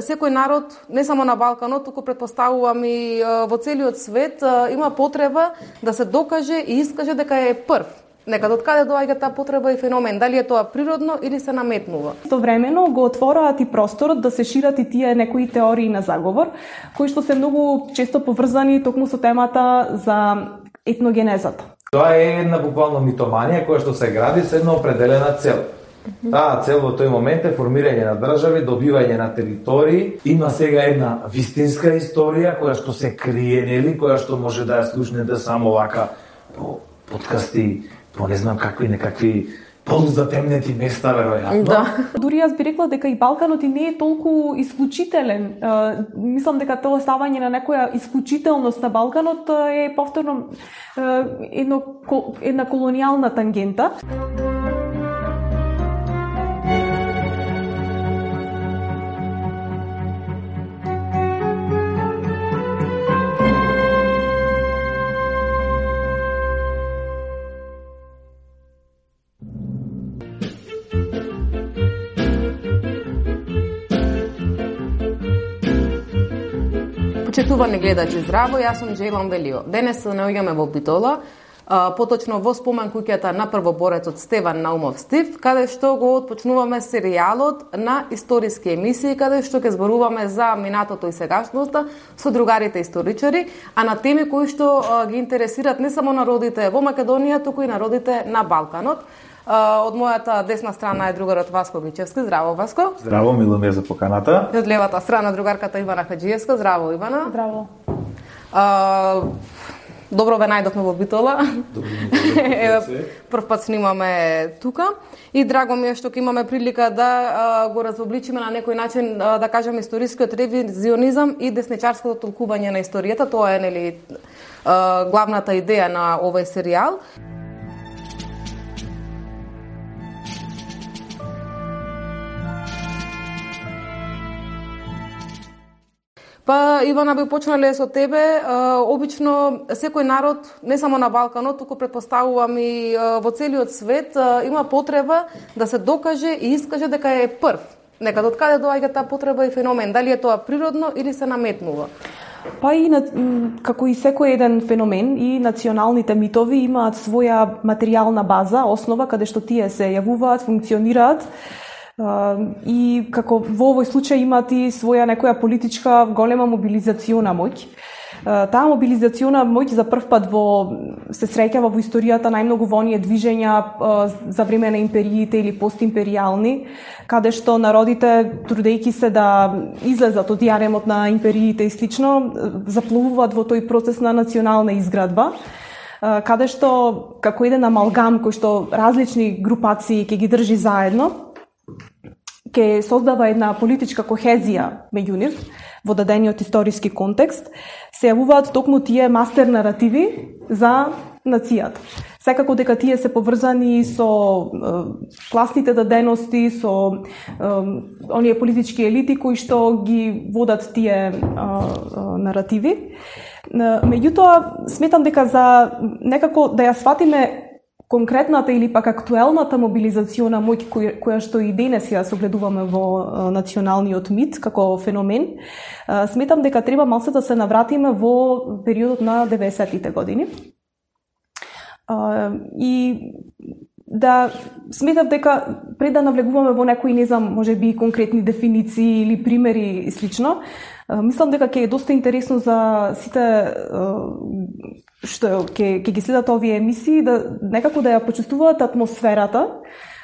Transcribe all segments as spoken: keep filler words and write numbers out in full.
секој народ, не само на Балканот, туку претпоставувам и во целиот свет, има потреба да се докаже и искаже дека е прв. Некад од каде доаѓа таа потреба и феномен? Дали е тоа природно или се наметнува? Истовремено го отвораат и просторот да се шират и тие некои теории на заговор, кои што се многу често поврзани токму со темата за етногенезата. Тоа е една буквално митоманија која што се гради со една определена цел. Таа цел во тој момент е формирање на држави, добивање на територии. Има сега една вистинска историја која што се крие, нели, која што може да ја слушнете само вака по подкасти, по не знам какви некакви полузатемнети места, веројатно. Да. Дури јас би рекла дека и Балканот и не е толку исклучителен. Uh, мислам дека тоа ставање на некоја исклучителност на Балканот е повторно uh, едно, една колонијална тангента. Почитувани гледачи, здраво, јас сум Джейлан Велио. Денес се наоѓаме во Битола, поточно во спомен куќата на првоборецот Стеван Наумов Стив, каде што го отпочнуваме серијалот на историски емисии, каде што ќе зборуваме за минатото и сегашноста со другарите историчари, а на теми кои што ги интересираат не само народите во Македонија, туку и народите на Балканот. Од мојата десна страна е другарот Васко Гичевски. Здраво, Васко. Здраво, мило ми е за поканата. И од левата страна другарката Ивана Хаджиевска. Здраво, Ивана. Здраво. А, добро ве најдовме во Битола. Добро ми прв пат снимаме тука и драго ми е што ќе имаме прилика да а, го разобличиме на некој начин, а, да кажем, историскиот ревизионизам и десничарското толкување на историјата. Тоа е, нели, а, главната идеја на овој серијал. Па, Ивана, би почнале со тебе. Обично, секој народ, не само на Балканот, туку претпоставувам и во целиот свет, има потреба да се докаже и искаже дека е прв. Некад од каде доаѓа таа потреба и феномен? Дали е тоа природно или се наметнува? Па и како и секој еден феномен, и националните митови имаат своја материјална база, основа каде што тие се јавуваат, функционираат. Uh, и како во овој случај имат и своја некоја политичка голема мобилизациона моќ. Uh, таа мобилизациона моќ за прв пат во се среќава во историјата најмногу во оние движења uh, за време на империите или постимперијални, каде што народите, трудејќи се да излезат од јаремот на империите и слично, заплувуваат во тој процес на национална изградба, uh, каде што како еден амалгам кој што различни групации ќе ги држи заедно, ке создава една политичка кохезија меѓу нив во дадениот историски контекст, се јавуваат токму тие мастер наративи за нацијата. Секако дека тие се поврзани со е, класните дадености, со е, оние политички елити кои што ги водат тие е, е, наративи. Меѓутоа, сметам дека за некако да ја сватиме конкретната или пак актуелната мобилизациона моќ која, која што и денес ја согледуваме во а, националниот мит како феномен, а, сметам дека треба малце да се навратиме во периодот на деветдесеттите години. А, и да сметам дека пред да навлегуваме во некои, не знам, можеби конкретни дефиниции или примери и слично, а, мислам дека ќе е доста интересно за сите а, што ќе ќе ги следат овие емисии, да некако да ја почувствуваат атмосферата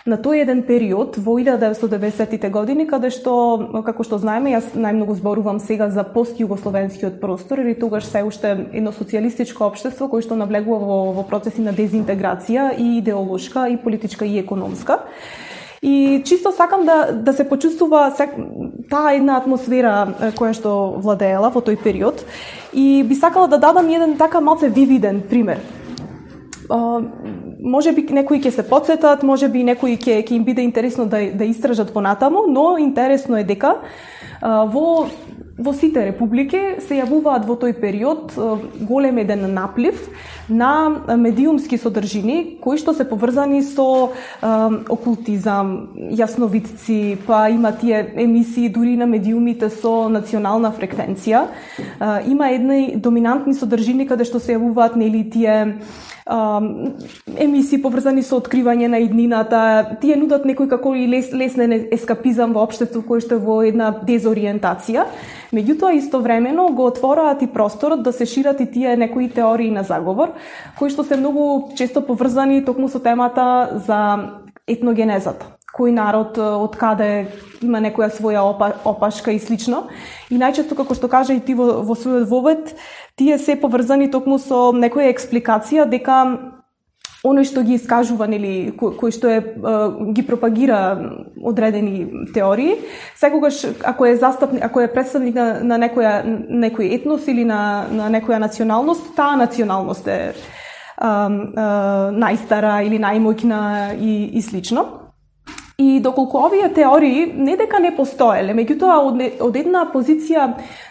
на тој еден период во илјада деветстотини и деветдесеттите години, каде што, како што знаеме, јас најмногу зборувам сега за постјугословенскиот простор, или тогаш се уште едно социјалистичко општество кој што навлегува во, во процеси на дезинтеграција и идеолошка, и политичка, и економска. И чисто сакам да, да се почувствува таа една атмосфера која што владеела во тој период. И би сакала да дадам еден така малце вивиден пример. Uh, може би некои ќе се потсетат, може би некои ќе ќе им биде интересно да да истражат понатаму, но интересно е дека uh, во во сите републики се јавуваат во тој период голем еден наплив на медиумски содржини кои што се поврзани со окултизам, јасновидци, па има тие емисии дури на медиумите со национална фреквенција. Има едни доминантни содржини каде што се јавуваат нели тие емисии поврзани со откривање на иднината, тие нудат некој како и лес, леснен ескапизам во општество кој што е во една дезориентација. Меѓутоа, истовремено го отвораат и просторот да се шират и тие некои теории на заговор, кои што се многу често поврзани токму со темата за етногенезата. Кој народ, од каде има некоја своја опа, опашка и слично. И најчесто, како што кажа и ти во, во својот вовед, тие се поврзани токму со некоја експликација дека оној што ги искажува, нели, кој, кој што е, ги пропагира одредени теории, секогаш ако е застапник, ако е представник на, на некоја некој етнос или на на некоја националност, таа националност е а, а, најстара или најмоќна и и слично. И доколку овие теории не дека не постоеле, меѓутоа од, од една позиција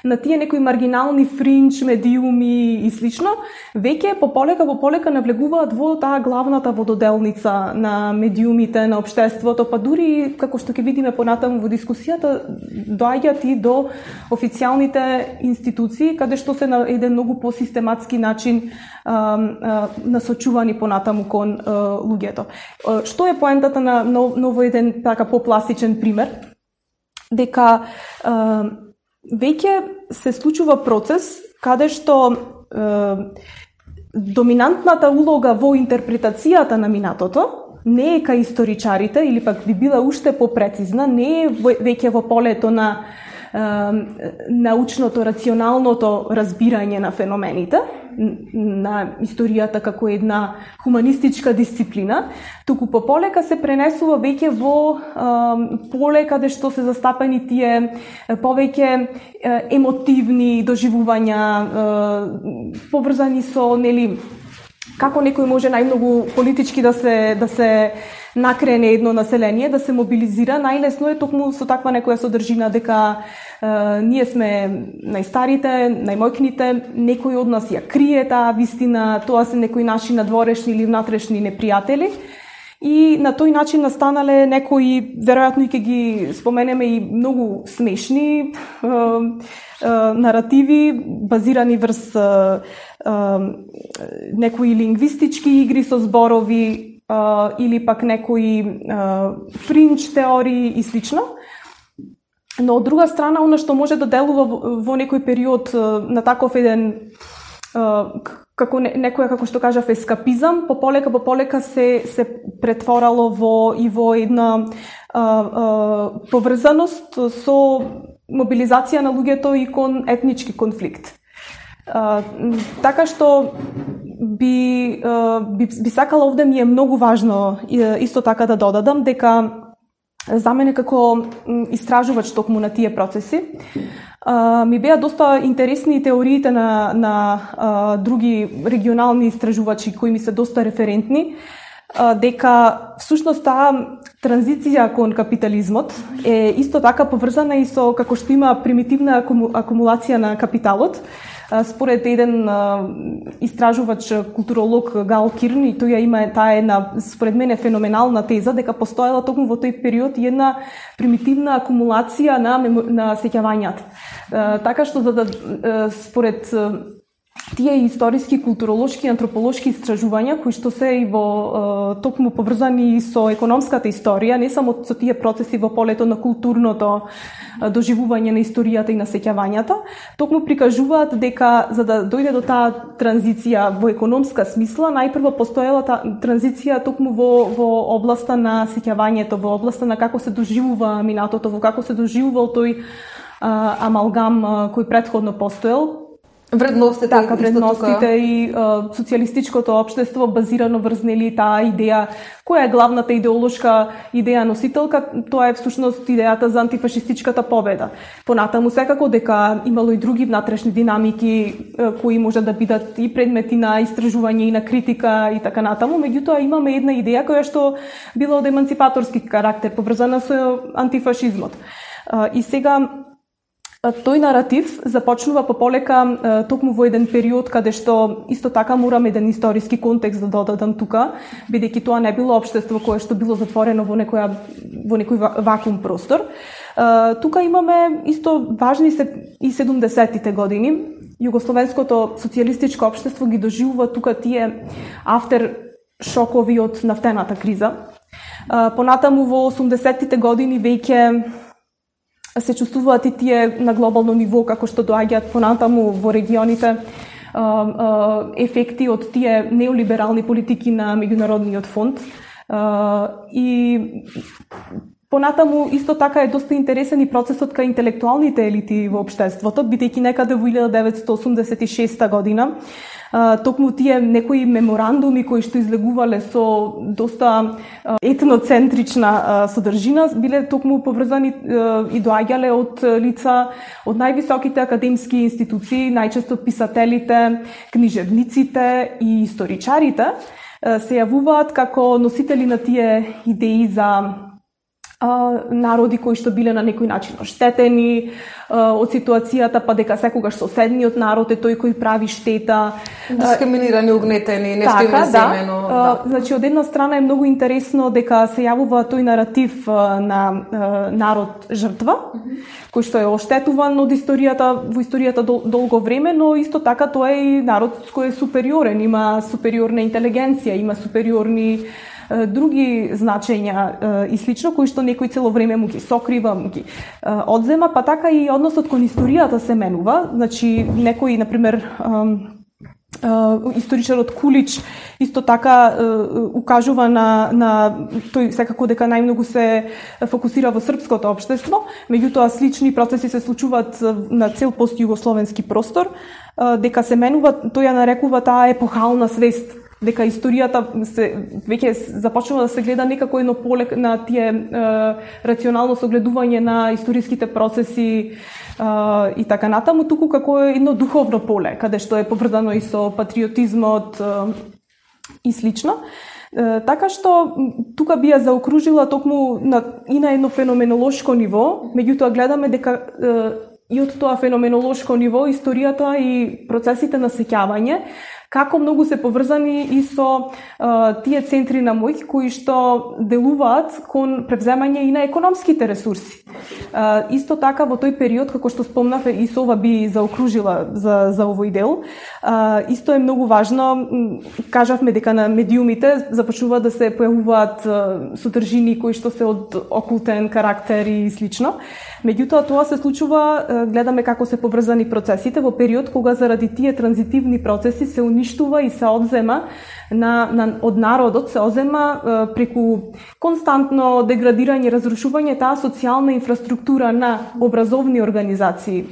на тие некои маргинални фринч, медиуми и слично, веќе пополека во полека навлегуваат во таа главната вододелница на медиумите на општеството, па дури како што ќе видиме понатаму во дискусијата, доаѓаат и до официјалните институции каде што се на еден многу посистематски начин а, а, насочувани понатаму кон а, луѓето. А, што е поентата на ново еден така попластичен пример, дека е, веќе се случува процес каде што е, доминантната улога во интерпретацијата на минатото не е кај историчарите или пак би била уште попрецизна, не е веќе во полето на е, научното, рационалното разбирање на феномените, на историјата како една хуманистичка дисциплина, туку пополека се пренесува веќе во е, поле каде што се застапени тие повеќе е, емотивни доживувања, е, поврзани со, нели, како некој може најмногу политички да се да се накрене едно население, да се мобилизира. Најлесно е токму со таква некоја содржина дека е, ние сме најстарите, најмоќните, некој од нас ја крие таа вистина, тоа се некои наши надворешни или внатрешни непријатели. И на тој начин настанале некои, веројатно и ќе ги споменеме и многу смешни е, е, наративи, базирани врз е, е, некои лингвистички игри со зборови, Uh, или пак некои uh, фринч теории и слично. Но од друга страна, она што може да делува во, во некој период uh, на таков еден uh, како не, некоја, како што кажав, ескапизам, пополека пополека се се претворало во и во една uh, uh, поврзаност со мобилизација на луѓето и кон етнички конфликт. Uh, така што би, uh, би, би сакала овде ми е многу важно исто така да додадам дека за мене како истражувач токму на тие процеси uh, ми беа доста интересни теориите на, на uh, други регионални истражувачи кои ми се доста референтни, uh, дека всушност таа транзиција кон капитализмот е исто така поврзана и со како што има примитивна акуму, акумулација на капиталот. Според еден а, истражувач, културолог Гал Кирн, и тој има таа една, според мене, феноменална теза, дека постоела токму во тој период една примитивна акумулација на, на сеќавањата. А, така што, за да, а, според а, тие историски, културолошки, антрополошки истражувања, кои што се и во а, токму поврзани со економската историја, не само со тие процеси во полето на културното а, доживување на историјата и на сеќавањата, токму прикажуваат дека за да дојде до таа транзиција во економска смисла, најпрво постоела таа транзиција токму во, во областа на сеќавањето, во областа на како се доживува минатото, во како се доживувал тој а, амалгам а, кој претходно постоел. Вредностите, така, вредностите и а, социјалистичкото општество базирано врз нели таа идеја, која е главната идеолошка идеја носителка, тоа е всушност идејата за антифашистичката победа. Понатаму секако дека имало и други внатрешни динамики а, кои може да бидат и предмети на истражување и на критика и така натаму, меѓутоа имаме една идеја која што била од еманципаторски карактер, поврзана со антифашизмот. А, и сега тој наратив започнува пополека токму во еден период каде што исто така морам еден историски контекст да додадам тука, бидејќи тоа не било општество кое што било затворено во некоја во некој вакуум простор. Тука имаме исто важни се и седумдесеттите години. Југословенското социјалистичко општество ги доживува тука тие афтер шокови од нафтената криза. Понатаму во осумдесеттите години веќе се чувствуваат и тие на глобално ниво, како што доаѓаат понатаму во регионите ефекти од тие неолиберални политики на меѓународниот фонд. И понатаму исто така е доста интересен и процесот кај интелектуалните елити во општеството, бидејќи некаде во илјада деветстотини осумдесет и шеста година токму тие некои меморандуми кои што излегувале со доста етноцентрична содржина биле токму поврзани и доаѓале од лица од највисоките академски институции, најчесто писателите, книжевниците и историчарите се јавуваат како носители на тие идеи за народи кои што биле на некој начин оштетени од ситуацијата, па дека секогаш соседниот народ е тој кој прави штета. Дискриминирани, угнетени, нешто така, им е земено. Да. Да. Значи, од една страна е многу интересно дека се јавува тој наратив на народ жртва, кој што е оштетуван од историјата, во историјата дол, долго време, но исто така тоа е и народ кој е супериорен, има супериорна интелигенција, има супериорни други значења и слично, кои што некој цело време му ги сокрива, му ги одзема, па така и односот кон историјата се менува. Значи, некој, например, историчарот Кулич исто така укажува на, на тој секако дека најмногу се фокусира во српското општество, меѓутоа слични процеси се случуваат на цел постјугословенски простор, дека се менува, тој ја нарекува таа епохална свест, дека историјата се веќе започнува да се гледа некако едно поле на тие е, рационално согледување на историските процеси е, и така натаму, туку како едно духовно поле, каде што е поврзано и со патриотизмот е, и слично. Е, така што тука би ја заокружила токму на, и на едно феноменолошко ниво, меѓутоа гледаме дека е, и од тоа феноменолошко ниво историјата и процесите на сеќавање како многу се поврзани и со а, тие центри на моќ кои што делуваат кон превземање и на економските ресурси. А, исто така во тој период, како што спомнав, и со ова би заокружила за, за овој дел, а, исто е многу важно, кажавме дека на медиумите започнува да се појавуваат содржини кои што се од окултен карактер и слично. Меѓутоа тоа се случува, гледаме како се поврзани процесите во период кога заради тие транзитивни процеси се уништува и се одзема на, на, од народот, се одзема е, преку константно деградирање и разрушување таа социјална инфраструктура на образовни организации,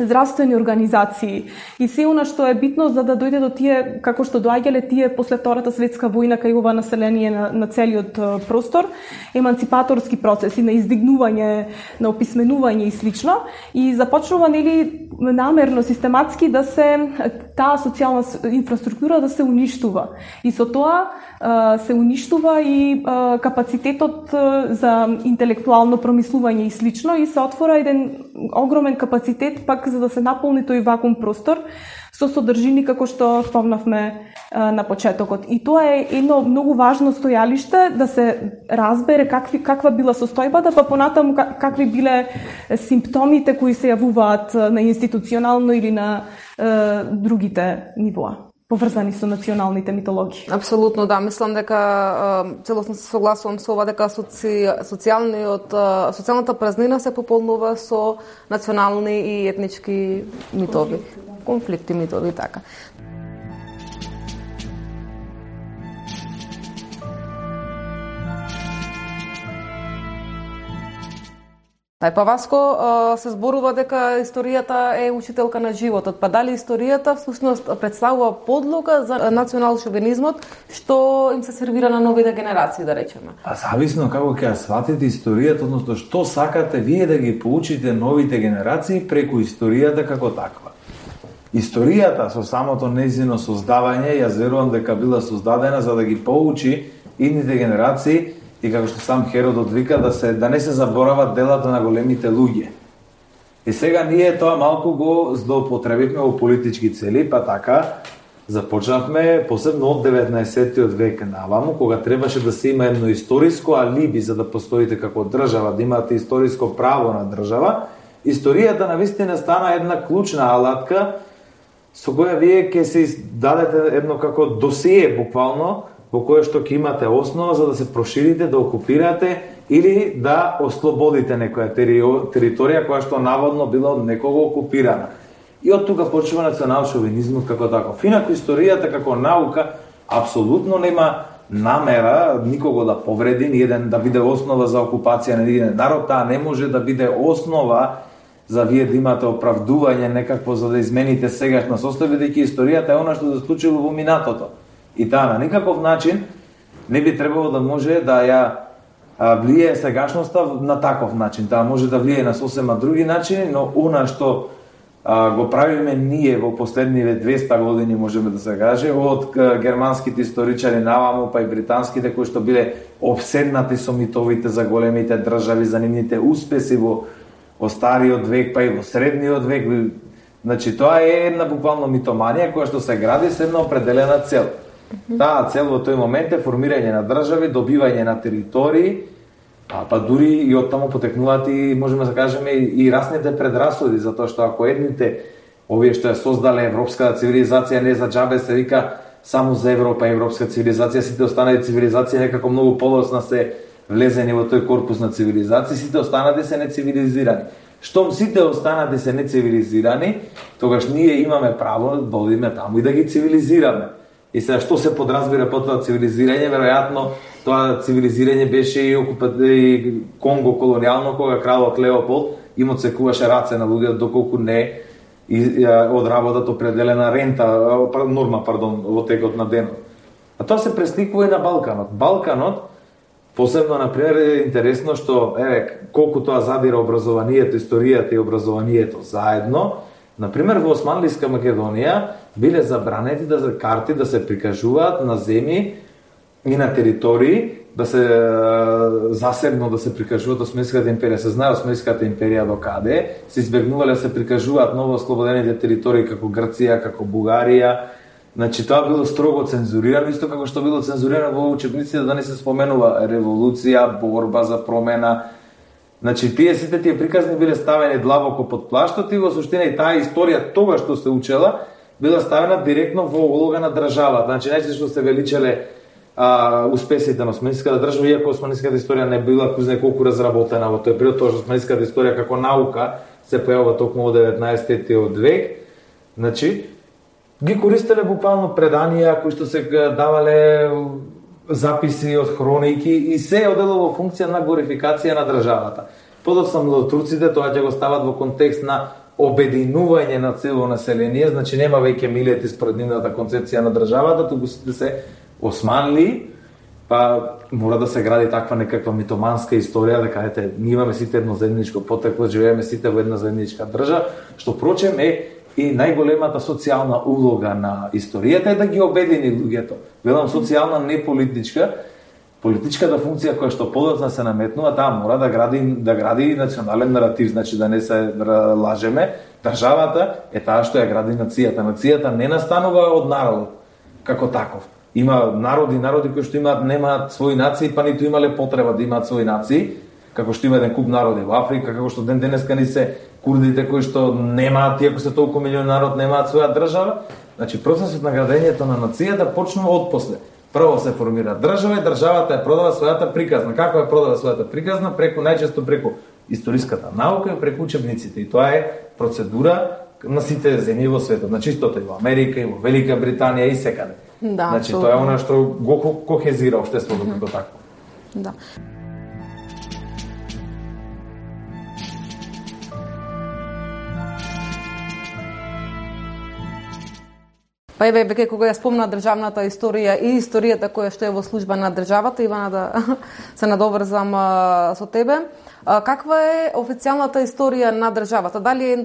здравствени организации и се она што е битно за да дојде до тие, како што доаѓале тие после Втората светска војна кај ова население на, на целиот простор, еманципаторски процеси на издигнување, на описменување и слично, и започнува нели намерно, систематски да се таа социјална инфраструктура да се уништува. И со тоа се уништува и капацитетот за интелектуално промислување и слично, и се отвора еден огромен капацитет пак за да се наполни тој вакуум простор со содржини како што спомнавме на почетокот. И тоа е едно многу важно стојалиште да се разбере какви, каква била состојбата, па понатаму какви биле симптомите кои се јавуваат на институционално или на е, другите нивоа, поврзани со националните митологии. Апсолутно, да. Мислам дека целосно се согласувам со ова дека соци, социјалниот социјалната празнина се пополнува со национални и етнички митови, конфликти, митови, така. Тај па Васко се зборува дека историјата е учителка на животот. Па дали историјата всушност представува подлога за национал шовинизмот што им се сервира на новите генерации, да речеме? А зависно како ќе ја сватите историјата, односно што сакате вие да ги поучите новите генерации преку историјата како таква. Историјата со самото нејзино создавање, јас верувам дека била создадена за да ги поучи идните генерации и како што сам Херодот вика, да се да не се заборават делата на големите луѓе. И сега ние тоа малку го злоупотребивме во политички цели, па така започнавме посебно од деветнаесеттиот век наваму, кога требаше да се има едно историско алиби за да постоите како држава, да имате историско право на држава. Историјата навистина стана една клучна алатка со која вие ќе се дадете едно како досие буквално, во кое што ќе имате основа за да се проширите, да окупирате или да ослободите некоја територија која што наводно била од некого окупирана. И од тука почува национал-шовинизмот како таков. Инаку историјата како наука апсолутно нема намера никого да повреди, ни еден да биде основа за окупација на еден народ, таа не може да биде основа за вие да имате оправдување некакво за да измените сегашна состојба, бидејќи историјата е она што се случило во минатото. И таа на никаков начин не би требало да може да ја влијае сегашноста на таков начин. Таа може да влијае на сосема други начини, но она што а, го правиме ние во последниве двеста години, можеме да се каже, од германските историчари наваму, па и британските, кои што биле обседнати со митовите за големите држави, за нивните успеси во, во стариот век, па и во средниот век. Значи, тоа е една буквално митоманија која што се гради со една определена цел. Таа цел во тој момент е формирање на држави, добивање на територии, а па дури и од таму потекнуваат и можеме да кажеме и расните предрасуди, затоа што ако едните овие што ја создале европската цивилизација не за џабе се вика само за Европа и европска цивилизација, сите останали цивилизации некако многу подоцна се влезени во тој корпус на цивилизации, сите останати се нецивилизирани. Штом сите останати се нецивилизирани, тогаш ние имаме право да одиме таму и да ги цивилизираме. И сега што се подразбира под тоа цивилизирање, веројатно тоа цивилизирање беше и окупација Конго колонијално, кога кралот Леополд им отсекуваше раце на луѓе доколку не одработат определена рента, норма, пардон, во текот на денот. А тоа се пресликува и на Балканот. Балканот, посебно, например, е интересно што, еве, колку тоа задира образованието, историјата и образованието заедно. Например, во Османлиска Македонија биле забранети да карти да се прикажуваат на земји и на територии, да се засебно да се прикажуваат Османската империја. Се знае Османската империја до каде, се избегнувале да се прикажуваат ново ослободените територии како Грција, како Бугарија. Значи тоа било строго цензурирано, исто како што било цензурирано во учебниците да не се споменува револуција, борба за промена. Значи, тие сите тие приказни биле ставени длабоко под плаштот и во суштина и таа историја тогаш што се учела била ставена директно во улога на државата. Значи, најчесто што се величеле а, успесите на османската држава, иако османската историја не била куз неколку разработена во тој период, тоа што османската историја како наука се појавува токму во деветнаесеттиот век. Значи, ги користеле буквално преданија кои што се давале записи од хроники и се одело во функција на глорификација на државата. Подоцна младотурците тоа ќе го стават во контекст на обединување на цело население, значи нема веќе милети според нивната концепција на државата, туку сите се османли, па мора да се гради таква некаква митоманска историја, да кажете, ние имаме сите едно заедничко потекло, живееме сите во една заедничка држава, што прочем е и најголемата социјална улога на историјата е да ги обедини луѓето. Велам социјална, не политичка. Политичката функција која што подоцна се наметнува, таа мора да гради да гради национален наратив, значи да не се лажеме. Државата е таа што ја гради нацијата. Нацијата не настанува од народот како таков. Има народи, народи кои што имаат немаат своји нации, па ниту имале потреба да имаат своји нации, како што има еден куп народи во Африка, како што ден денеска ни се курдите кои што немаат, иако се толку милиони народ, немаат своја држава. Значи, процесот на градењето на нацијата почнува од после. Прво се формира држава и државата ја продава својата приказна. Како ја продава својата приказна? Преку, најчесто преку историската наука и преку учебниците. И тоа е процедура на сите земји во светот. Значи, истото и во Америка, и во Велика Британија, и секаде. Да, значи, тоа е она што го кохезира општеството mm-hmm. како такво. Да. Па еве, веќе кога ја спомна државната историја и историјата која што е во служба на државата, Ивана, да се надоврзам а, со тебе. А, каква е официјалната историја на државата? Дали е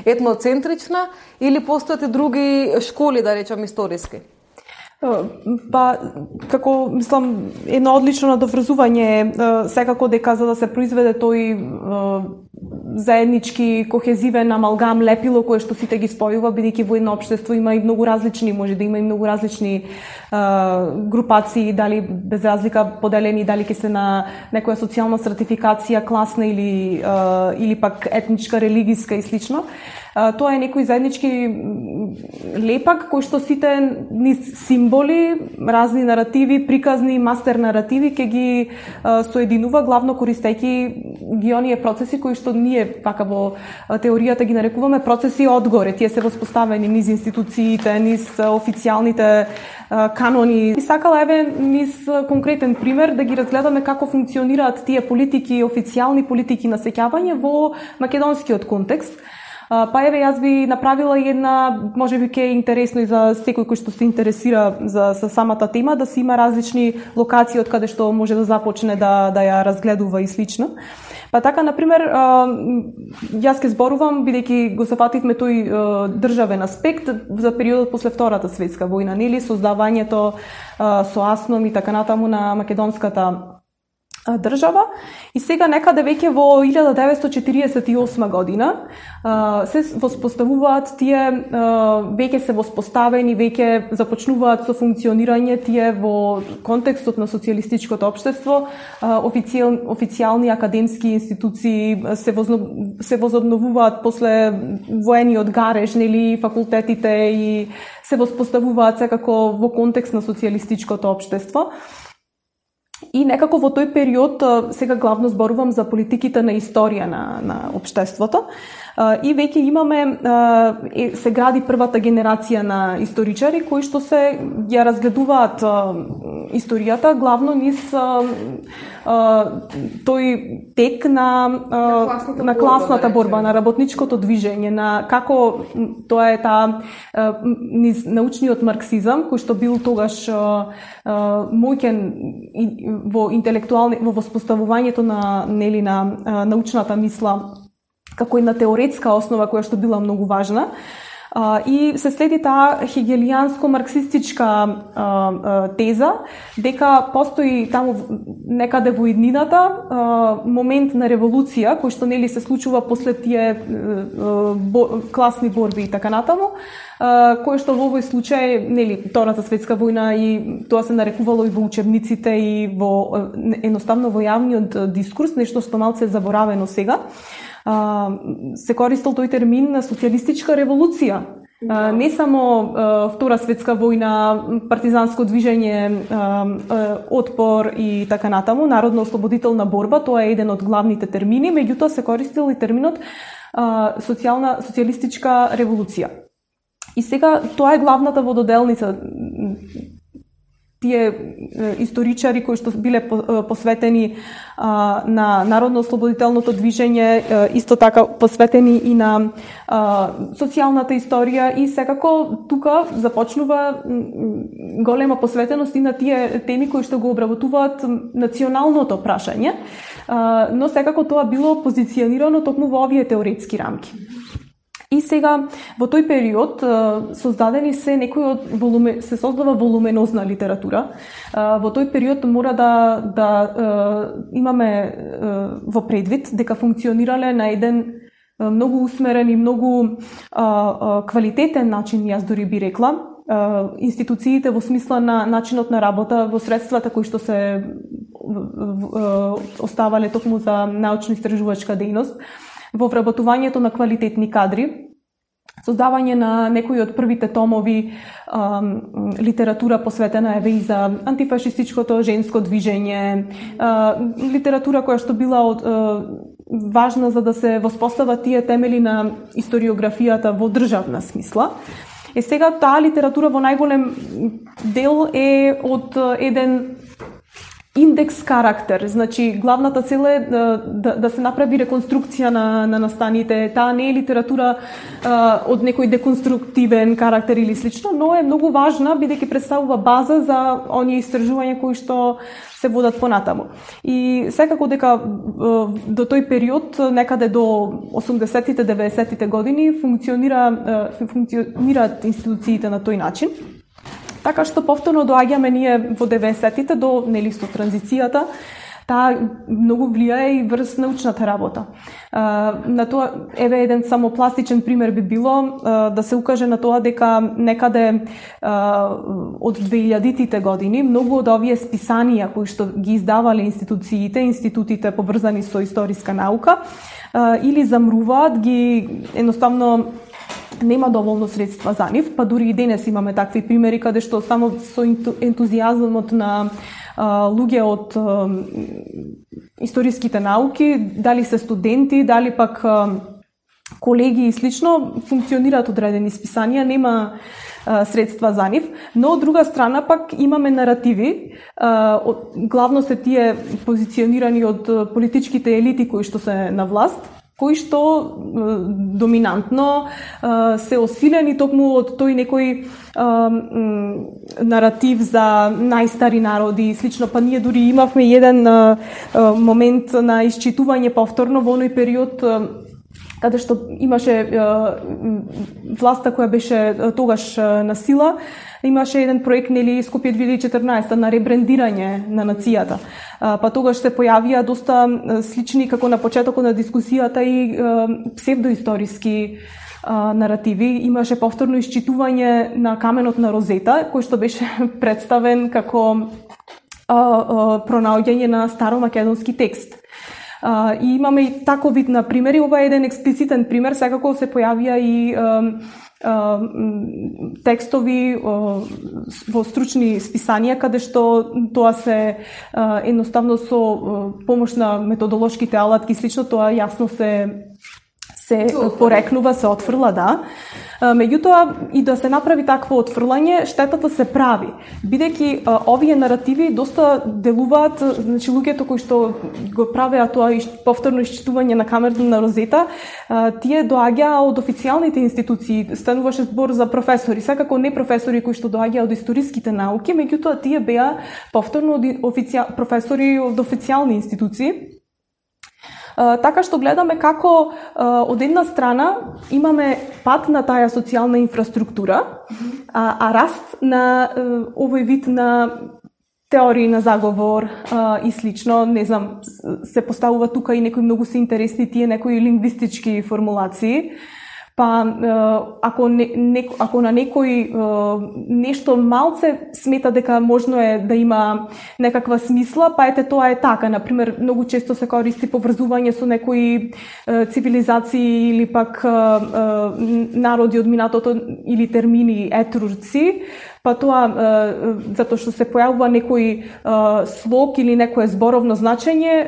етноцентрична или постојат и други школи, да речам, историски? Па, како, мислам, едно одлично надоврзување е секако дека за да се произведе тој заеднички кохезивен амалгам лепило кое што сите ги спојува, бидејќи во едно општество има и многу различни, може да има и многу различни а, групации, дали без разлика поделени, дали ќе се на некоја социјална стратификација, класна или а, или пак етничка, религиска и слично. А, тоа е некој заеднички лепак кој што сите низ символи, разни наративи, приказни, мастер наративи ќе ги а, соединува, главно користејќи ги оние процеси кои што ние пака во теоријата ги нарекуваме процеси одгоре. Тие се воспоставени низ институциите, низ официјалните а, канони. И сакала еве низ конкретен пример да ги разгледаме како функционираат тие политики, официјални политики на сеќавање во македонскиот контекст. Па еве јас би направила една, можеби ке е интересно и за секој кој што се интересира за, за самата тема, да се има различни локации од каде што може да започне да, да ја разгледува и слично. Па така, например, јас ке зборувам, бидејќи го сафативме тој државен аспект за периодот после Втората светска војна, нели, создавањето со АСНОМ и така натаму на македонската држава. И сега некаде веќе во илјада деветстотини четириесет и осма година се воспоставуваат тие, веќе се воспоставени, веќе започнуваат со функционирање тие во контекстот на социјалистичкото општество, официјал, официјални академски институции се, возно, се возобновуваат после воениот гареж, нели, факултетите и се воспоставуваат секако во контекст на социјалистичкото општество. И некако во тој период, сега главно зборувам за политиките на историја на, на општеството, и веќе имаме, се гради првата генерација на историчари кои што се ја разгледуваат историјата главно низ тој тек на, на класната, на класната борба, борба, на работничкото движење, на како тоа е таа низ научниот марксизам кој што бил тогаш моќен во интелектуални, во воспоставувањето на, нели, на научната мисла како една теоретска основа која што била многу важна. И се следи таа хегелијанско-марксистичка теза дека постои таму некаде во иднината момент на револуција кој што, нели, се случува после тие класни борби и така натаму, кој што во овој случај, нели, Втората светска војна, и тоа се нарекувало и во учебниците и во едноставно во јавниот дискурс, нешто што малце е заборавено сега. Се користел тој термин на социјалистичка револуција. Да. Не само Втора светска војна, партизанско движење, отпор и така натаму, народно-ослободителна борба, тоа е еден од главните термини, меѓутоа се користел и терминот социјална социјалистичка револуција. И сега тоа е главната вододелница. Тие историчари кои што биле посветени а, на народно-ослободителното движење, исто така посветени и на а, социјалната историја, и секако тука започнува голема посветеност и на тие теми кои што го обработуваат националното прашање, а, но секако тоа било позиционирано токму во овие теоретски рамки. И сега во тој период создадени се некои од волуме, се создава волуменозна литература. Во тој период мора да да имаме во предвид дека функционирале на еден многу усмерен и многу квалитетен начин, јас дори би рекла, институциите во смисла на начинот на работа, во средствата кои што се оставале токму за научно-истражувачка дејност, во вработувањето на квалитетни кадри, создавање на некои од првите томови а, литература посветена еве и за антифашистичкото женско движење, а, литература која што била од, а, важна за да се воспостават тие темели на историографијата во државна смисла. Е сега таа литература во најголем дел е од еден индекс карактер, значи главната цел е да, да, да се направи реконструкција на, на настаните. Таа не е литература а, од некој деконструктивен карактер или слично, но е многу важна бидејќи представува база за оние истражувања кои што се водат понатаму. И секако дека до тој период, некаде до осумдесеттите, деветдесеттите години, функционира функционираат институциите на тој начин. Така што повторно доаѓаме ние во деветдесеттите до, нели, со транзицијата, таа многу влијае и врз научната работа. На тоа, еве еден само пластичен пример би било да се укаже на тоа дека некаде од две илјадитите години многу од овие списанија кои што ги издавале институциите, институтите поврзани со историска наука, или замруваат, ги едноставно нема доволно средства за нив, па дури и денес имаме такви примери каде што само со ентузијазмот на а, луѓе од а, историските науки, дали се студенти, дали пак а, колеги и слично, функционираат одредени списанија, нема а, средства за нив, но од друга страна пак имаме наративи, а, од, главно се тие позиционирани од политичките елити кои што се на власт, кои што е, доминантно е, се осилени токму од тој некој е, наратив за најстари народи и слично, па ние дури имавме еден е, момент на исчитување повторно во оној период е, каде што имаше е, власта која беше тогаш на сила, имаше еден проект, нели, Скопје две илјади и четрнаесета на ребрендирање на нацијата. Па тогаш се појавија доста слични, како на почетокот на дискусијата, и псевдоисториски наративи. Имаше повторно исчитување на каменот на Розета, кој што беше представен како пронаоѓање на старомакедонски текст. Uh, и имаме и таков вид на примери. Ова е еден експлицитен пример, секако се појавија и uh, uh, текстови uh, во стручни списанија, каде што тоа се uh, едноставно со uh, помош на методолошките алатки, слично тоа јасно се се порекнува, се отфрла, да. Меѓутоа, и да се направи такво отфрлање, штетата се прави, бидејќи овие наративи доста делуваат, значи луѓето кои што го правеа тоа повторно исчитување на каменот на Розета, тие доаѓаа од официјалните институции, стануваше збор за професори, секако не професори кои што доаѓаа од историските науки, меѓутоа тие беа повторно од официјал... професори од официјални институции. Uh, така што гледаме како uh, од една страна имаме пат на таа социјална инфраструктура, а, а раст на uh, овој вид на теории на заговор uh, и слично, не знам, се поставува тука и некои многу се интересни тие некои лингвистички формулации. Па ако не, не, ако на некој нешто малце смета дека можно е да има некаква смисла, па ете тоа е така. Например, многу често се користи поврзување со некои цивилизации или пак народи од минатото или термини етрурци, па тоа затоа што се појавува некој слог или некое зборовно значење,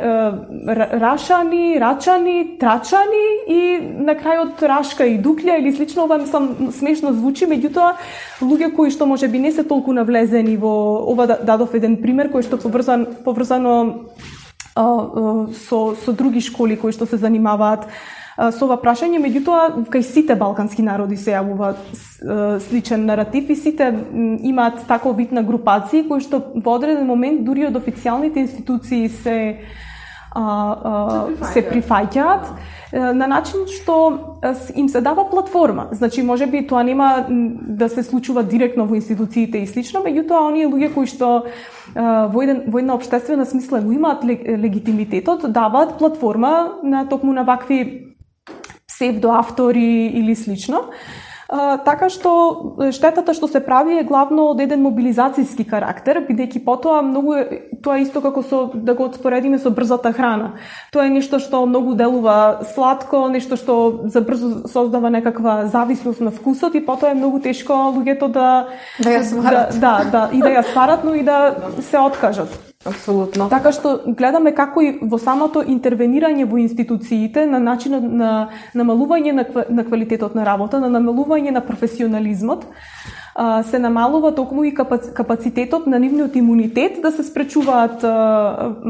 рашани, рачани, трачани и на крајот рашка и дуклја или слично. Ова мислам смешно звучи, меѓутоа луѓе кои што можеби не се толку навлезени во ова, дадов еден пример кој што поврзан поврзано а, а, со со други школи кои што се занимаваат со ова прашање, меѓутоа кај сите балкански народи се јавува сличен наратив и сите имаат таков вид на групации кои што во одреден момент дури од официјалните институции се а, а, се прифаќаат на начин што им се дава платформа. Значи, можеби тоа нема да се случува директно во институциите и слично, меѓутоа оние луѓе кои што во, еден, во една општествена смисла го имаат легитимитетот, даваат платформа на токму на вакви псевдоавтори или слично. А, така што штетата што се прави е главно од еден мобилизацијски карактер, бидејќи потоа многу е, тоа исто како со да го споредиме со брзата храна. Тоа е нешто што многу делува сладко, нешто што за брзо создава некаква зависност на вкусот и потоа е многу тешко луѓето да да ја сварат. Да, да, да, и да ја сварат, но и да се откажат. Апсолутно. Така што гледаме како и во самото интервенирање во институциите на начинот на намалување на, на квалитетот на работа, на намалување на професионализмот, се намалува токму и капацитетот на нивниот имунитет да се спречуваат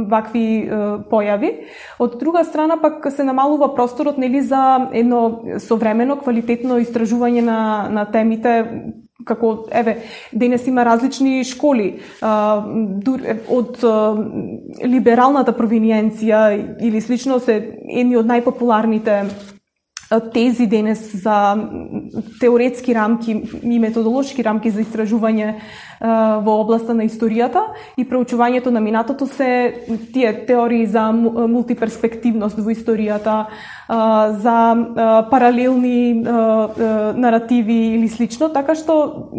вакви појави. Од друга страна пак се намалува просторот, нели, за едно современо квалитетно истражување на на темите. Како, еве, денес има различни школи а, од а, либералната провиниенција или слично се едни од најпопуларните тези денес за теоретски рамки и методолошки рамки за истражување во областа на историјата и проучувањето на минатото се тие теории за мултиперспективност во историјата, за паралелни наративи или слично, така што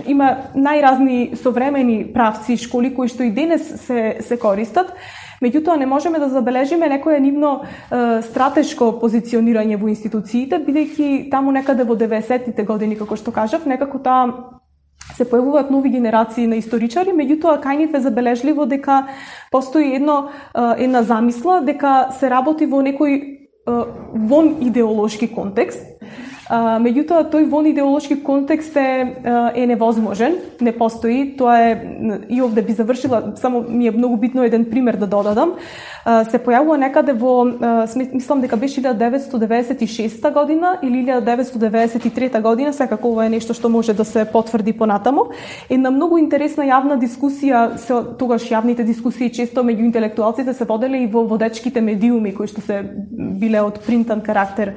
има најразни современи правци, школи кои што и денес се се користат. Меѓутоа, не можеме да забележиме некое нивно е, стратешко позиционирање во институциите, бидејќи таму некаде во деветдесеттите години, како што кажав, некако таа се појавуваат нови генерации на историчари, меѓутоа кај нив е забележливо дека постои едно една замисла дека се работи во некој вон идеолошки контекст. А, меѓутоа, тој вон идеолошки контекст е, е невозможен, не постои. Тоа е, и овде би завршила, само ми е многу битно еден пример да додадам. А, се појавува некаде во, а, мислам дека беше илјада деветстотини деветдесет и шеста година или илјада деветстотини деветдесет и трета година, секако ова е нешто што може да се потврди понатаму. Една многу интересна јавна дискусија, се, тогаш јавните дискусии често меѓу интелектуалците се воделе и во водечките медиуми, кои што се биле од принтан карактер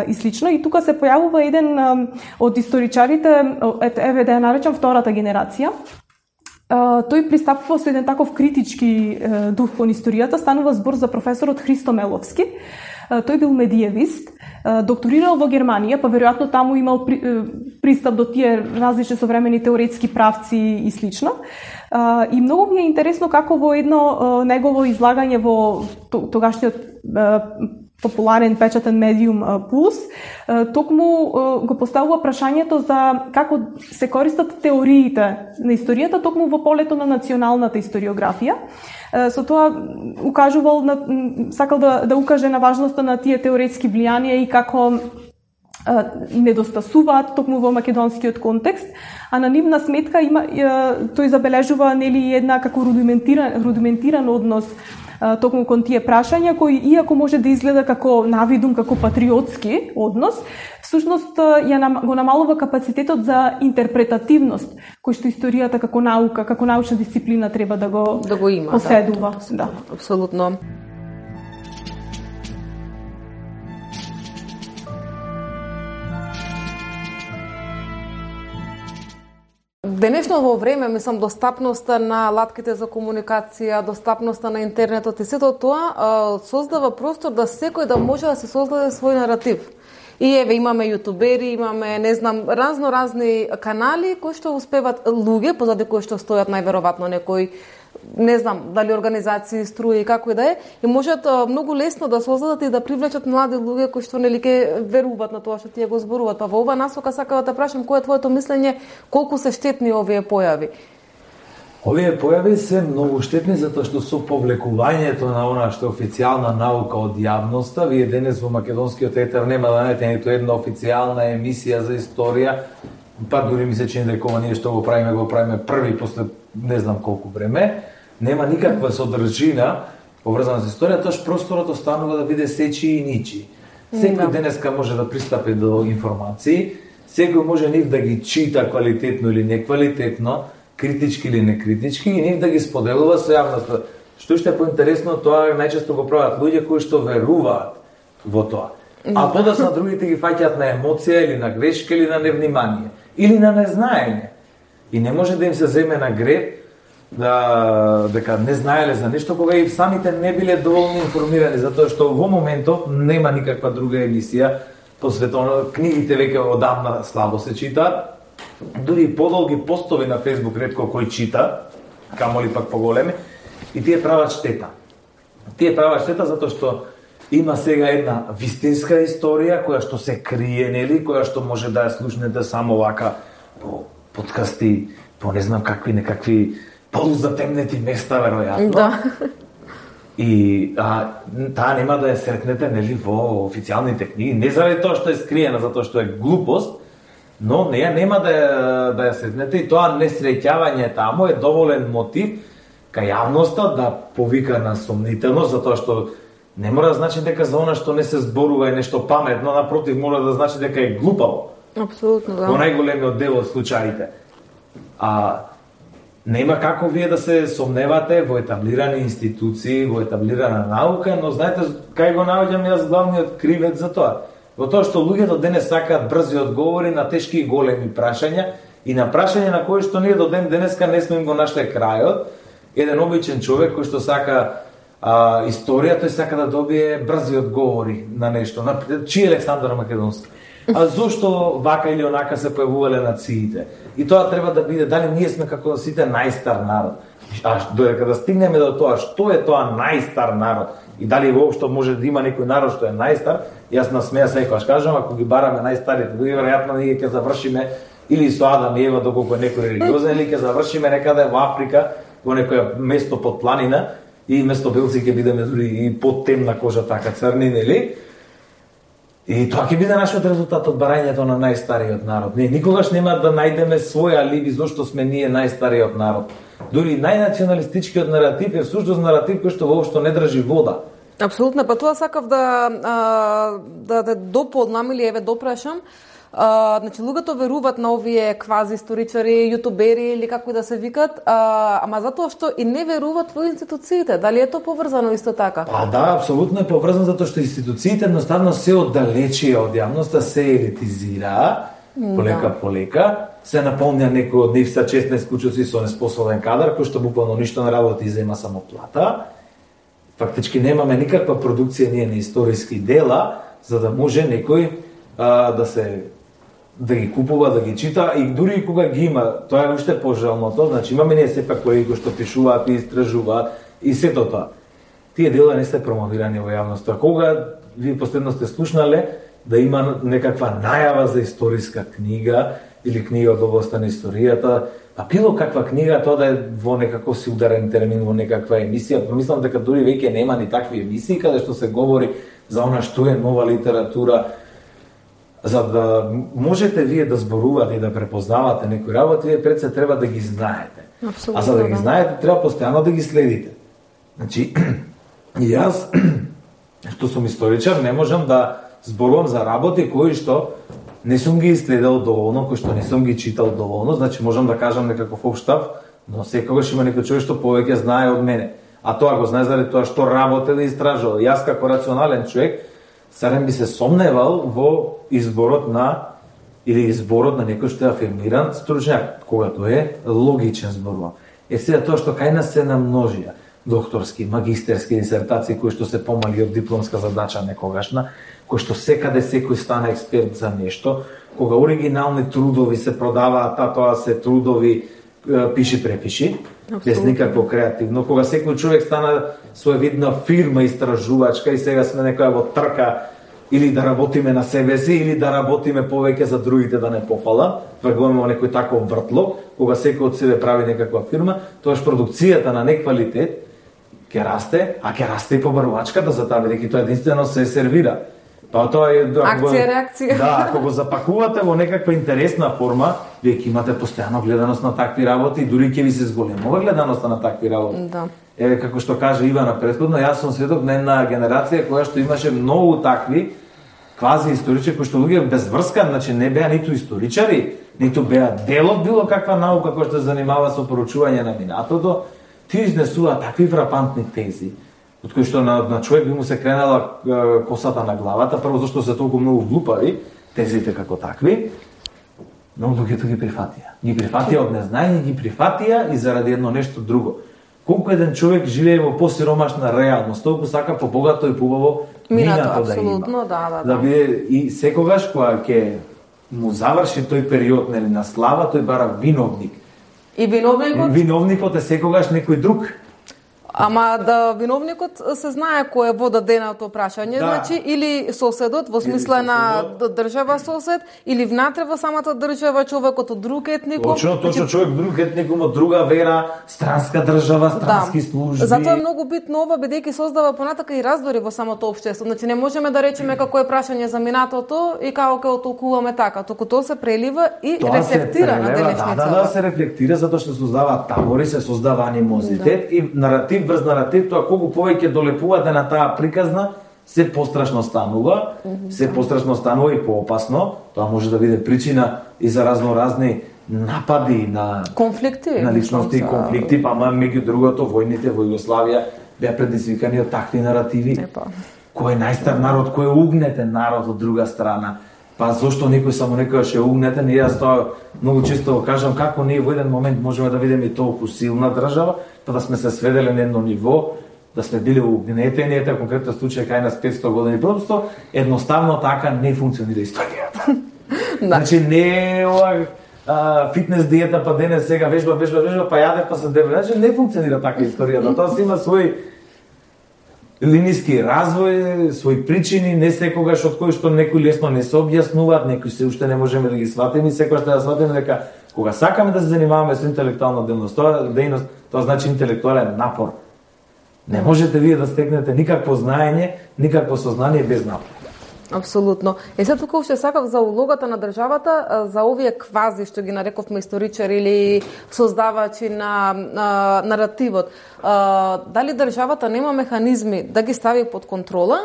и слично. И тука се појавува еден од историчарите, еве да ја наречам втората генерација. Тој пристапува со еден таков критички дух кон историјата, станува збор за професорот Христо Меловски. Тој бил медиевист, докторирал во Германија, па веројатно таму имал пристап до тие различни современи теоретски правци и слично. И многу ми е интересно како во едно негово излагање во тогашниот популарен печатен медиум Пулс, токму го поставува прашањето за како се користат теориите на историјата токму во полето на националната историографија. Со тоа укажувал на, сакал да, да укаже на важноста на тие теоретски влијанија и како недостасуваат токму во македонскиот контекст, а на нивна сметка има тој забележува нели една како рудиментиран рудиментиран однос токму кон тие прашања, кои иако може да изгледа како навидум, како патриотски однос, всушност ја нам, го намалува капацитетот за интерпретативност, кој што историјата како наука, како научна дисциплина треба да го, да го има, поседува. Да, да. Апсолутно. Денешното време, мислам, достапноста на латките за комуникација, достапноста на интернетот и сето тоа создава простор да секој да може да се создаде свој наратив. И еве имаме јутубери, имаме, не знам, разно разни канали кои што успеват луѓе, позади кои што стојат најверојатно некој, не знам, дали организации, струи и како и да е, и можат многу лесно да создадат и да привлечат млади луѓе кои што нели ке веруваат на тоа што тие го зборуваат. Па во ова насока сакам да те прашам кој е твоето мислење, колку се штетни овие појави? Овие појави се многу штетни затоа што со повлекувањето на она што е официјална наука од јавноста, вие денес во македонскиот етер нема да најдете ниту една официјална емисија за историја, па дури ми се чини дека ова ние што го правиме, го правиме први после не знам колку време, нема никаква содржина поврзана со историја, тоаш просторот останува да биде сечи и ничи. Секој денеска може да пристапи до информации, секој може нив да ги чита квалитетно или неквалитетно, критички или некритички, и нив да ги споделува со јавноста. Што што е поинтересно, тоа најчесто го прават луѓе кои што веруваат во тоа. А подоцна другите ги фаќаат на емоција или на грешка или на невнимание или на незнаење. И не може да им се земе на греб да дека не знаеле за нешто кога и самите не биле доволно информирани, затоа што во моментов нема никаква друга емисија посветено, книгите веќе одамна слабо се читаат. Дури подолги постови на Facebook ретко кој чита, камоли пак поголеми, и тие прават штета. Тие прават штета затоа што има сега една вистинска историја која што се крие, нели, која што може да ја слушнете само вака по подкасти, по не знам какви некакви полузатемнети места веројатно. Да. И а, таа нема да ја сретнете нели во официјалните книги, не заради тоа што е скриена, затоа што е глупост, но неја нема да ја, да ја сретнете, и тоа несреќавање таму е доволен мотив кај јавноста да повика на сомнителност, затоа што не мора да значи дека за она што не се зборува е нешто паметно, напротив мора да значи дека е глупаво. Апсолутно, да. Во најголемиот дел од случаите. А нема како вие да се сомневате во етаблирани институции, во етаблирана наука, но знаете кај го наоѓам јас главниот кривец за тоа? во тоа што луѓето денес сакаат брзи одговори на тешки и големи прашања и на прашања на кои што ние до ден денеска не сме им го нашле крајот. Еден обичен човек кој што сака а, историја, тој сака да добие брзи одговори на нешто. На чиј Александар Македонски? А зошто вака или онака се појавувале нациите? И тоа треба да биде, дали ние сме како сите најстар народ? А додека да стигнеме до тоа, што е тоа најстар народ? И дали воопшто може да има некој народ што е најстар? Јас на смеја секогаш кажам, ако ги бараме најстарите, дури веројатно ние ќе завршиме или со Адам и Ева, доколку е некој религиозен, или ќе завршиме некаде во Африка, во некоја место под планина, и место белци ќе бидеме дури и под темна кожа, така црни, нели? И тоа ќе биде нашиот резултат од барањето на најстариот народ. Ние никогаш нема да најдеме свој алиби зошто сме ние најстариот народ. Дури најнационалистичкиот наратив е всушност наратив кој што воопшто не држи вода. Апсолутно, па тоа сакав да а, да да дополнам или еве допрашам. Uh, значи, луѓето веруваат на овие квази историчари, јутубери или како и да се викат, uh, ама затоа што и не веруваат во институциите. Дали е тоа поврзано исто така? Па да, апсолутно е поврзано затоа што институциите едноставно се оддалечија од јавноста, се елитизира, полека полека, се наполнија некој од нив са шеснаесет кучуци со неспособен кадар, кој што буквално ништо не работи и зема само плата. Фактички немаме никаква продукција ние на историски дела, за да може некој а, да се да ги купува, да ги чита, и дури и кога ги има, тоа е уште пожалното, значи имаме ние сепак колеги кои што пишуваат и истражуваат и сето тоа. Тие дела не се промовирани во јавноста. Кога вие последно сте слушнале да има некаква најава за историска книга или книга од областа на историјата, а било каква книга, тоа да е во некаков си ударен термин, во некаква емисија, мислам дека дури веќе нема ни такви емисии каде што се говори за она што е нова литература. За да можете вие да зборувате и да препознавате некои работи, вие пред се треба да ги знаете. Абсолютно, а за да ги да. знаете, треба постојано да ги следите. Значи, и јас, што сум историчар, не можам да зборувам за работи кои што не сум ги исследал доволно, кои што не сум ги читал доволно, значи можам да кажам некаков општав, но секогаш има некој човек што повеќе знае од мене. А тоа го знае заради тоа што работи да истражува. Јас како рационален човек сарем би се сомневал во изборот на или изборот на некој што е афирмиран стручњак, кога тоа е логичен збор. Е сега тоа што кај нас се намножија докторски, магистерски дисертации кои што се помали од дипломска задача некогашна, кои што секаде секој стана експерт за нешто, кога оригинални трудови се продаваат, а тоа се трудови пиши препиши, без никакво креативно, кога секој човек стана своевидна фирма истражувачка и сега сме некоја во трка или да работиме на себе си, или да работиме повеќе за другите да не пофала, вргуваме во некој таков вртло, кога секој од себе прави некаква фирма, тоаш продукцијата на неквалитет ќе расте, а ќе расте и побарувачката за таа, бидејќи тоа единствено се сервира. Па тоа е акција, реакција. Да, ако го запакувате во некаква интересна форма, вие ќе имате постојано гледаност на такви работи и дури ќе ви се зголемува гледаноста на такви работи. Да. Еве како што каже Ивана претходно, јас сум сведок на една генерација која што имаше многу такви квази историчари кои што луѓе без врска, значи не беа ниту историчари, ниту беа дел од било каква наука која што се занимава со поручување на минатото, ти изнесува такви фрапантни тези, од кои што на, на човек би му се кренала е, косата на главата, прво зашто се толку многу глупави, тезите како такви, но луѓето ги прифатија. Ги прифатија од незнање, ги прифатија и заради едно нешто друго. Колку еден човек живее во посиромашна реалност, толку сака побогато и побаво минато да има. Да, да, да. Да биде и секогаш кога ќе му заврши тој период нели на слава, тој бара виновник. И виновникот? Виновникот е секогаш некој друг. Ама да виновникот се знае кој е водаденото прашање, да. Значи или соседот во смисла на држава сосед, или внатре во самата држава човекот од друг етникум. Точно, точно значи, човек друг етникум од друга вера, странска држава, странски да. Служби. Затоа е многу битно ова бидејќи создава понатака и раздори во самото општество. Значи не можеме да речеме како е прашање за минатото и како ќе отолкуваме така, туку тоа се прелива и тоа рефлектира на денешница. Да, да, да, се рефлектира затоа што се создава табори, се создава анимозитет да. И наратив врз наратив, тоа колку повеќе долепувате на таа приказна, се пострашно станува, mm-hmm. се пострашно станува и поопасно. Тоа може да биде причина и за разноразни напади на конфликти, на личности и конфликти, па меѓу другото војните во Југославија беа предизвикани од такви наративи. Епа. кој е најстар народ, кој е угнетен народ од друга страна. Па зошто некој само некојаш е угнетен, и јас тоа многу често го кажам, како ние во еден момент можеме да видиме толку силна држава, па да сме се сведели на едно ниво, да сме били угнетени, ете конкретно случај кај нас петсто години. Просто едноставно така не функционира историјата. Да. Значи не е ова а, фитнес диета, па денес сега вежба, вежба, вежба, па јаде, па се дебе. Значи не функционира така историјата. Тоа си има свој линиски развој, своји причини, не секогаш од кои што некои лесно не се објаснуваат, некои се уште не можеме да ги сватиме, секогаш треба да сватиме дека кога сакаме да се занимаваме со интелектуална дејност, тоа дејност, тоа значи интелектуален напор. Не можете вие да стекнете никакво знаење, никакво сознание без напор. Апсолутно. Е сега тука уште сакав за улогата на државата, за овие квази што ги нарековме историчари или создавачи на, на наративот. А, дали државата нема механизми да ги стави под контрола,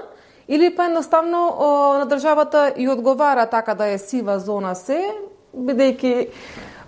или па едноставно на државата и одговара така да е сива зона се, бидејќи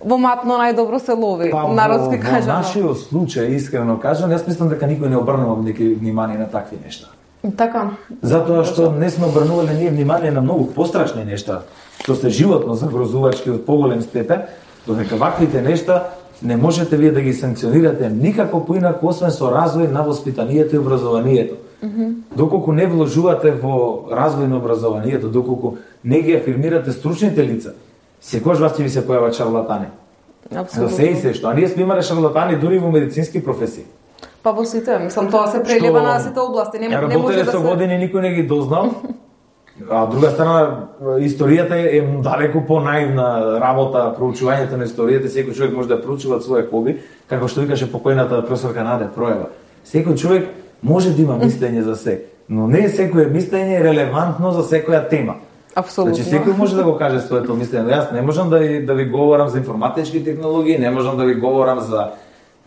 во матно најдобро се лови, па, народски кажано. Во нашиот случај, искрено кажам, јас мислам дека никој не обрнува неки внимание на такви нешта. Така. Затоа што не сме обрнувале ние внимание на многу пострашни нешта, што се животно загрозувачки од поголем степен, додека ваквите нешта не можете вие да ги санкционирате никако поинаку освен со развој на воспитанието и образованието. Mm-hmm. Доколку не вложувате во развој на образованието, доколку не ги афирмирате стручните лица, секогаш вас ќе ви се појават шарлатани. Апсолутно. За се и се што, а ние сме имале шарлатани дури во медицински професии. Па во сите, мислам, тоа се прелива на сите области. Не, не може да се... со години никој не ги дознал, а од друга страна, историјата е далеко понаивна работа, проучувањето на историјата, секој човек може да проучува своје хоби, како што викаше покојната професорка Наде Проева. Секој човек може да има мислење за се, но не секое мислење е релевантно за секоја тема. Апсолутно. Значи секој може да го каже своето мислење. Јас не можам да ви, да ви говорам за информатички технологии, не можам да ви говорам за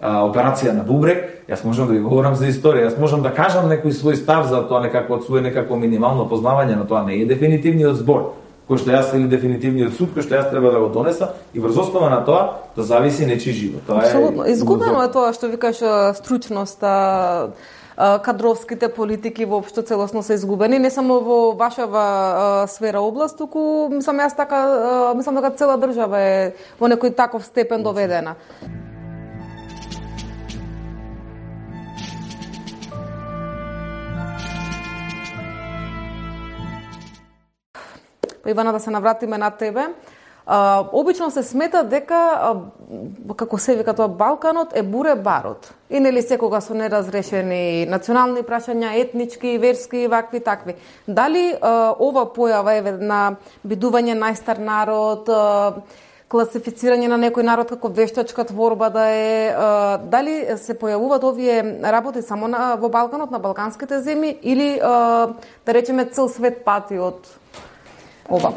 а, операција на бубрек, јас можам да ви говорам за историја, јас можам да кажам некој свој став за тоа, некако од свој некако минимално познавање, но тоа не е дефинитивниот збор, кој што јас или дефинитивниот суд кој што јас треба да го донеса, и врз основа на тоа да зависи нечи живот. Тоа Апсолутно. Е изгубено е тоа што викаш стручноста, кадровските политики воопшто целосно се изгубени, не само во вашава сфера област, туку мислам јас така, мислам дека цела држава е во некој таков степен доведена. Ивана, да се навратиме на тебе. А, обично се смета дека, а, како се вика тоа, Балканот е буре барот. И нели секога со неразрешени национални прашања, етнички, верски, вакви, такви. Дали а, ова појава е на бидување најстар народ, а, класифицирање на некој народ како вештачка творба да е, а, дали се појавуваат овие работи само на, во Балканот, на балканските земји, или а, да речеме цел свет пати од ова?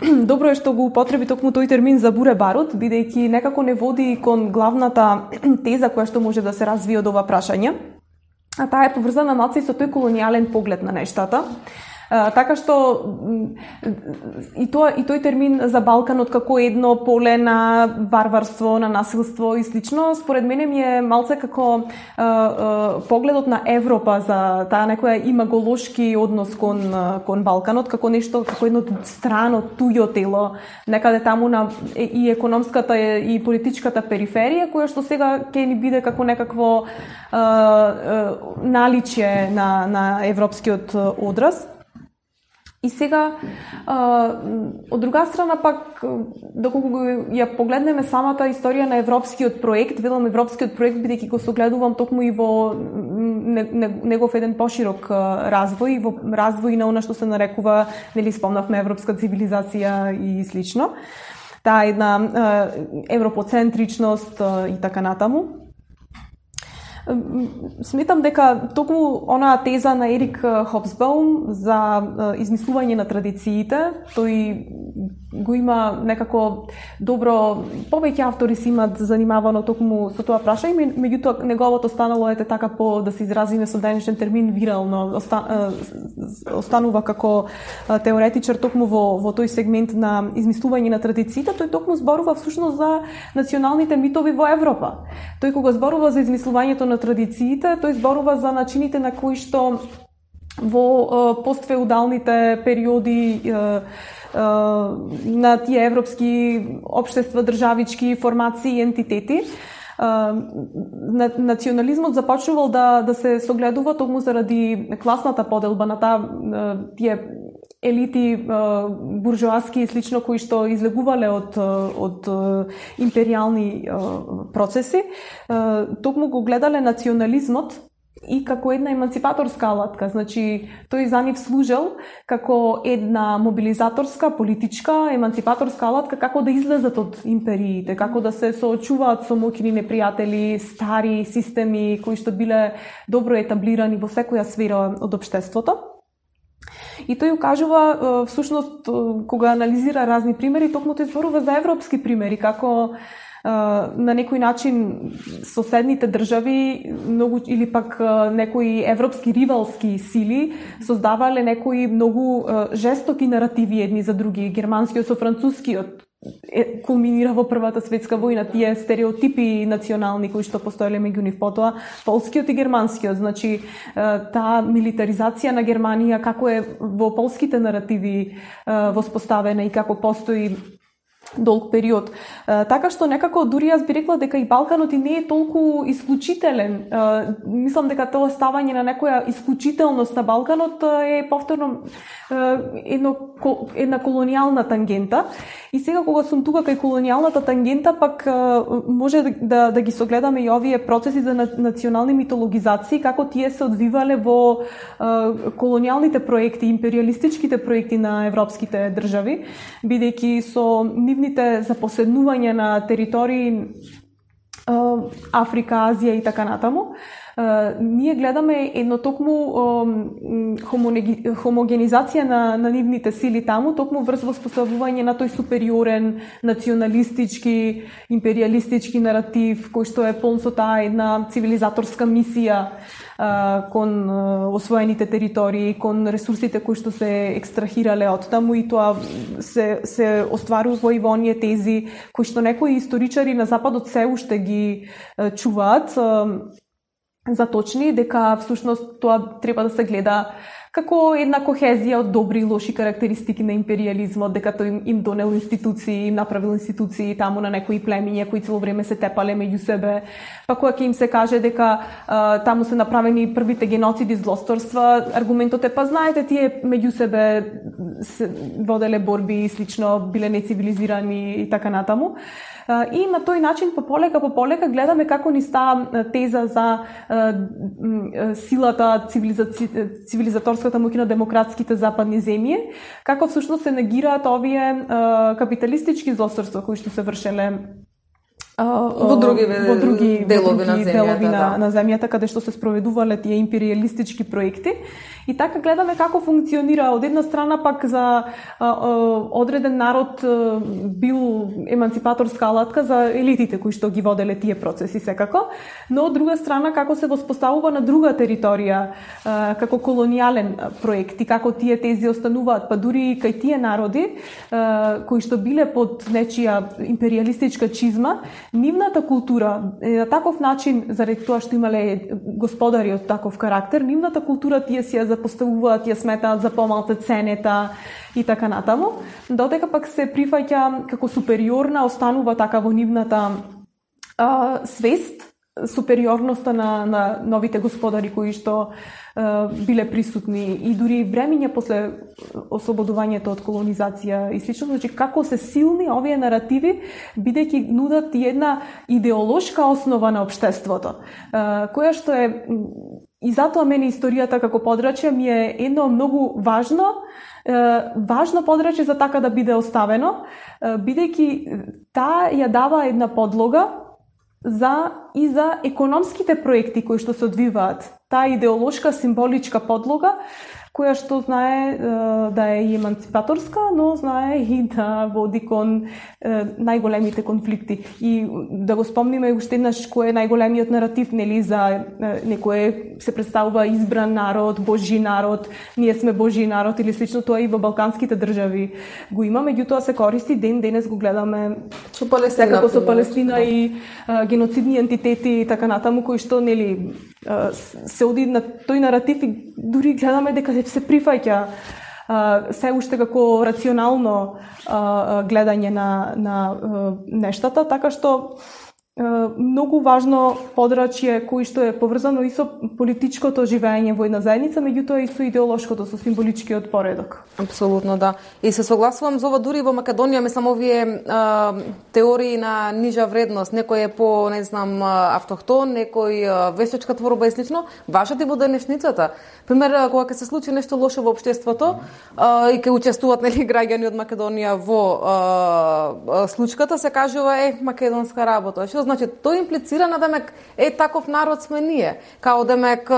Добро е што го употреби токму тој термин за буре барот, бидејќи некако не води кон главната теза која што може да се развие од ова прашање, а таа е поврзана малку и со тој колонијален поглед на нештата. Uh, така што и тоа и тој термин за Балканот како едно поле на варварство, на насилство и слично, според мене ми е малце како uh, uh, погледот на Европа за таа некоја имаголошки однос кон кон Балканот, како нешто, како едно страно туѓо тело, некаде таму на и економската и политичката периферија, која што сега ќе ни биде како некакво uh, uh, наличје на на европскиот одраз. И сега, а, од друга страна пак, доколку ја погледнеме самата историја на европскиот проект, велам европскиот проект, бидејќи го согледувам токму и во негов еден поширок развој, во развој на она што се нарекува, нели спомнавме, европска цивилизација и слично. Таа една а, европоцентричност а, и така натаму. Сметам дека токму онаа теза на Ерик Хобсбаум за измислување на традициите, тој го има некако добро, повеќе автори си имат занимавано токму со тоа прашање, меѓутоа неговото станало ете така по, да се изразиме со денешен термин, вирално, останува како теоретичар токму во, во тој сегмент на измислување на традициите. Тој токму зборува всушност за националните митови во Европа. Тој кога зборува за измислувањето на традициите, тој зборува за начините на кои што во постфеудалните периоди на тие европски општества, државички формации и ентитети. Национализмот започнувал да, да се согледува токму заради класната поделба на таа тие елити буржоаски и слично кои што излегувале од од империјални процеси, токму го гледале национализмот и како една емансипаторска алатка. Значи, тој за нив служел како една мобилизаторска, политичка, емансипаторска алатка како да излезат од империите, како да се соочуваат со моќни непријатели, стари системи кои што биле добро етаблирани во секоја сфера од општеството. И тој укажува, всушност, кога анализира разни примери, токму тој зборува за европски примери, како на некој начин соседните држави многу или пак некои европски ривалски сили создавале некои многу жестоки наративи едни за други. Германскиот со францускиот кулминира во Првата светска војна, тие стереотипи национални кои што постоеле меѓу нив, потоа полскиот и германскиот, значи таа милитаризација на Германија како е во полските наративи воспоставена и како постои долг период. Така што некако дури јас би рекла дека и Балканот и не е толку исклучителен. Мислам дека тоа ставање на некоја исклучителност на Балканот е повторно едно, една колонијална тангента. И сега кога сум тука кај колонијалната тангента, пак може да, да ги согледаме и овие процеси за национални митологизации, како тие се одвивале во колонијалните проекти, империалистичките проекти на европските држави, бидејќи со нивните запоседнување на територии Африка, Азија и така натаму, ние гледаме едно токму хомогенизација на, на нивните сили таму, токму врз воспоставување на тој супериорен, националистички, империалистички наратив, кој што е полн со таа една цивилизаторска мисија кон освоените територии, кон ресурсите кои што се екстрахирале од таму, и тоа се, се остварува и во оние тези кои што некои историчари на Западот се уште ги чуваат за точни, дека всушност тоа треба да се гледа како една кохезија од добри и лоши карактеристики на империализмот, дека тој им, им донел институции, им направил институции таму на некои племиња кои цело време се тепале меѓу себе, па кога ќе им се каже дека а, таму се направени првите геноциди, злосторства, аргументот е па знаете тие меѓу себе се воделе борби и слично, биле нецивилизирани и така натаму. И на тој начин по полека по полека гледаме како ни стаа теза за силата, цивилизаторската моќ на демократските западни земји, како всушност се негираат овие капиталистички злосторства кои што се вршеле во други, во други делови, во други на, земјата, делови на, да. на земјата, каде што се спроведувале тие империалистички проекти. И така гледаме како функционира од една страна пак за а, а, одреден народ а, бил емансипаторска алатка за елитите кои што ги воделе тие процеси секако, но од друга страна како се воспоставува на друга територија а, како колонијален проект и како тие тези остануваат, па дури кај тие народи а, кои што биле под нечија империалистичка чизма, нивната култура на таков начин, заради тоа што имале господари од таков карактер, нивната култура тие си ја запоставуваат, ја сметаат за помалку ценета и така натаму, додека пак се прифаќа како супериорна, останува така во нивната а, свест, супериорноста на, на новите господари кои што а, биле присутни и дури времења после ослободувањето од колонизација и слично, значи како се силни овие наративи, бидејќи нудат и една идеолошка основа на општеството, а, која што е и затоа мене историјата како подрачје ми е едно многу важно, важно подрачје за така да биде оставено, бидејќи таа ја дава една подлога за и за економските проекти кои што се одвиваат. Таа идеолошка, символичка подлога, која што знае да е и емансипаторска, но знае и да води кон најголемите конфликти. И да го спомниме уште еднаш кој е најголемиот наратив, нели, за некое се представува избран народ, божји народ, ние сме божји народ или слично, тоа и во балканските држави го има, меѓутоа се користи ден денес го гледаме со Палестина, секако со Палестина и а, геноцидни ентитети и така натаму кои што нели а, се оди на тој наратив и дури гледаме дека се прифаќа се уште како рационално а, гледање на, на а, нештата, така што многу важно подрачје кој што е поврзано и со политичкото живење во една заедница, меѓутоа и со идеолошкото, со символичкиот поредок. Апсолутно, да. И се согласувам за ова, дури во Македонија, мислам, овие а, теории на нижа вредност, некој е по, не знам, автохтон, некој вештачка творба и слично, важат и во денешницата. Пример, кога ќе се случи нешто лошо во општеството а, и ќе учествуваат, нели, граѓани од Македонија во а, случката, се кажува е македонска работа. Што значи, тоа имплицира на демек е таков народ сме ние, као демек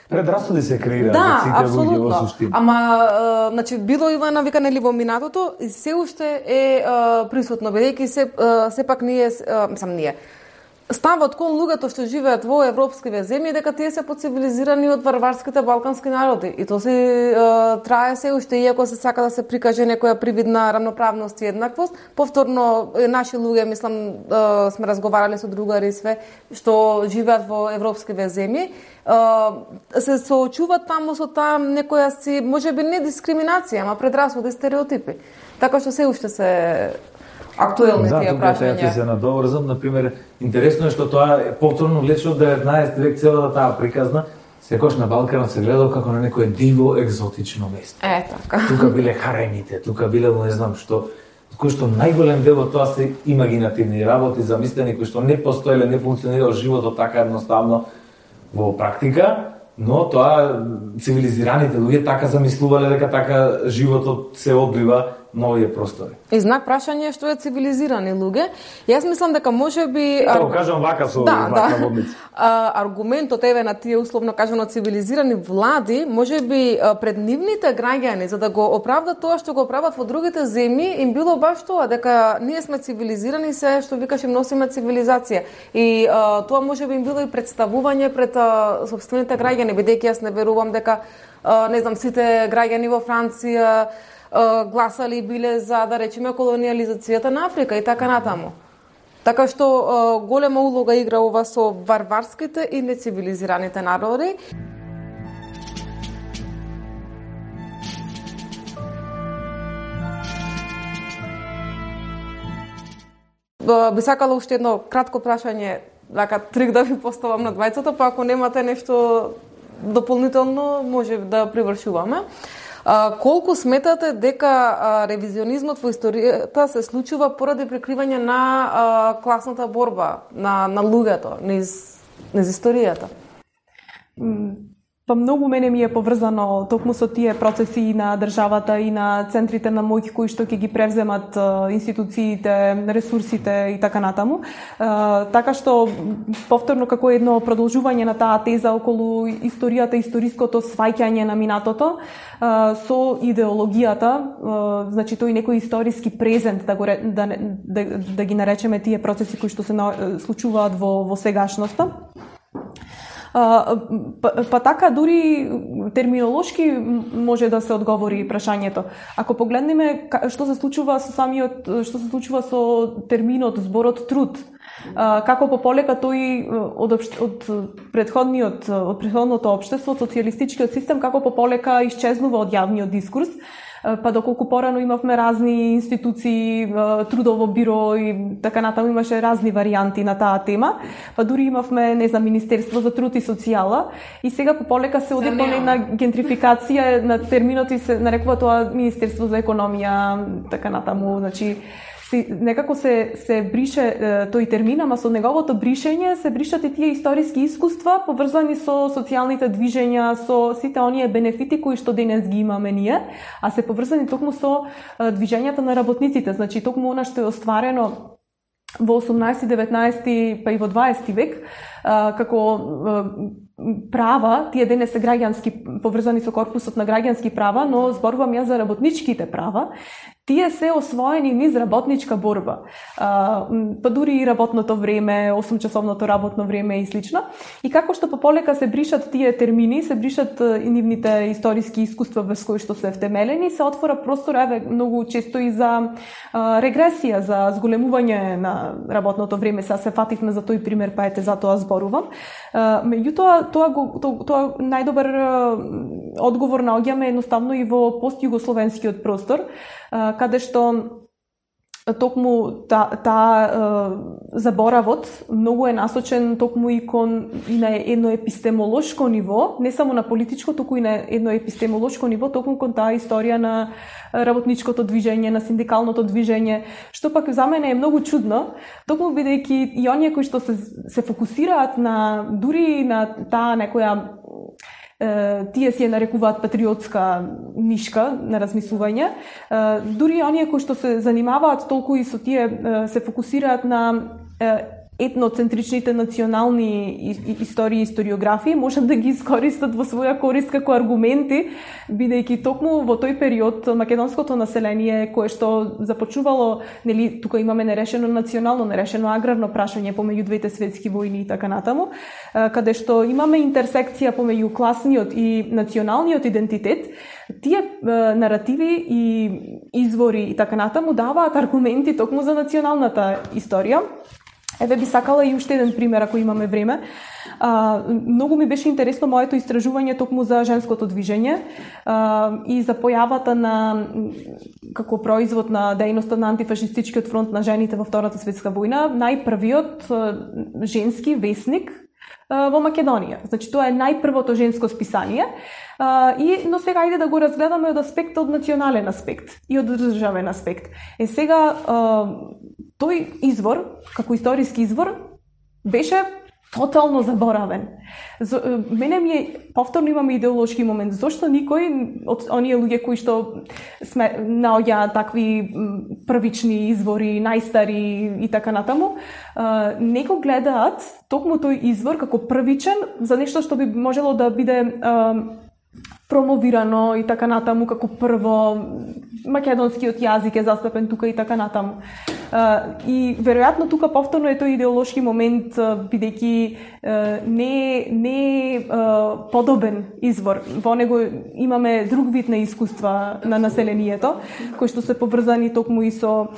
предрасуди се креираат. Да, апсолутно. Ама значи било и на вика нели во минатото и се уште е присутно, бидејќи се сепак ние, мислам ние ставот кон луѓето што живеат во европските земји дека тие се поцивилизирани од варварските балкански народи и тоа се трае се уште, иако се сака да се прикаже некоја привидна рамноправност и еднаквост. Повторно наши луѓе, мислам, сме разговарале со другари све што живеат во европските земји, се соочуваат таму со таа некоја си, можеби не дискриминација, ама предрасуди, стереотипи. Така што се уште се актуелни да, тие прашања. Да, се надоврзам, например, интересно е што тоа е повторно лече од деветнаесети век, целата таа приказна, секош на Балканот се гледал како на некое диво екзотично место. Е, така. Тука биле харените, тука биле не знам што, кој што најголем дел од тоа се имагинативни работи, замислени, кои што не постоеле, не функционирал животот така едноставно во практика, но тоа цивилизираните луѓе така замислувале дека така животот се одбива на овие простори. И знак прашање што е цивилизирани луѓе. Јас мислам дека можеби Тоа кажам вака со да, вака да. водница. Аргументот еве на тие условно кажано цивилизирани влади, можеби пред нивните граѓани за да го оправдат тоа што го прават во другите земји, им било баш тоа дека ние сме цивилизирани, се што викаш им носиме цивилизација. И а, тоа можеби им било и представување пред а, сопствените граѓани, бидејќи јас не верувам дека а, не знам сите граѓани во Франција гласали биле за, да речеме, колониализацијата на Африка и така натаму. Така што голема улога игра ова со варварските и нецивилизираните народи. Би сакала уште едно кратко прашање, така трик да ви поставам на двајцата, па ако немате нешто дополнително, може да привршуваме. А, колку сметате дека а, ревизионизмот во историјата се случува поради прикривање на а, класната борба на, на луѓето низ, низ историјата? Па многу мене ми е поврзано токму со тие процеси на државата и на центрите на моќ кои што ќе ги превземат институциите, ресурсите и така натаму. Така што повторно како едно продолжување на таа теза околу историјата, историското сваќање на минатото со идеологијата, значи тој некој историски презент да го да, да, да ги наречеме тие процеси кои што се случуваат во во сегашноста. Па, па така дури терминолошки може да се одговори прашањето. Ако погледнеме што се случува со самиот што се случува со терминот, зборот труд, како пополека тој од од претходниот од претходното општество, социјалистичкиот систем, како пополека исчезнува од јавниот дискурс, па доколку порано имавме разни институции, трудово биро и така натаму, имаше разни варијанти на таа тема, па дури имавме, не знам, Министерство за труд и социјала и сега пополека се оди по една гентрификација на терминот и се нарекува тоа Министерство за економија, така натаму, значи некако се се брише тој термин, ама со неговото бришење се бришат и тие историски искуства поврзани со социјалните движења, со сите оние бенефити кои што денес ги имаме ние, а се поврзани токму со движењата на работниците, значи токму она што е остварено во осумнаесети, деветнаесети, па и во дваесети век, како права, тие денес се граѓански, поврзани со корпусот на граѓански права, но зборувам ја за работничките права. тие се освоени низ работничка борба. А, па дури и работното време, осум часовното работно време и слично. И како што пополека се бришат тие термини, се бришат и нивните историски искуства врз кои што се втемелени, се отвора простор еве многу често и за а, регресија, за зголемување на работното време. Сега се фативме за тој пример, па ете за тоа зборувам. А, меѓутоа тоа го тоа, тоа најдобар а, одговор наоѓаме едноставно и во постјугословенскиот простор, каде што токму та, та заборавот многу е насочен токму и кон и на едно епистемолошко ниво, не само на политичко, туку и на едно епистемолошко ниво, токму кон таа историја на работничкото движење, на синдикалното движење, што пак за мене е многу чудно, токму бидејќи и оние кои што се, се фокусираат на дури на таа некоја тие си ја нарекуваат патриотска нишка на размислување. Дури оние кои што се занимаваат толку и со тие се фокусираат на етноцентричните национални истории и историографии, можат да ги искористат во своја корист како аргументи, бидејќи токму во тој период македонското население кое што започнувало, нели, тука имаме нерешено национално, нерешено аграрно прашање помеѓу двете светски војни и така натаму, каде што имаме интерсекција помеѓу класниот и националниот идентитет, тие наративи и извори и така натаму даваат аргументи токму за националната историја. Еве би сакала и уште еден пример, ако имаме време. А, многу ми беше интересно моето истражување токму за женското движење а, и за појавата на, како производ на дејноста на антифашистичкиот фронт на жените во Втората светска војна, најпрвиот женски весник а, во Македонија. Значи, тоа е најпрвото женско списание. А, и, но сега ајде да го разгледаме од аспект, од национален аспект и од државен аспект. Е сега, а, тој извор, како историски извор, беше тотално заборавен. За, мене ми е, повторно имаме идеолошки момент, зошто никој од оние луѓе кои што сме наоѓаат такви првични извори, најстари и така натаму, не го гледаат токму тој извор како првичен за нешто што би можело да биде промовирано и така натаму како прво, македонскиот јазик е застапен тука и така натаму. И веројатно тука повторно е тој идеолошки момент, бидејќи не не подобен извор. Во него имаме друг вид на искуства на населението, кои што се поврзани токму и со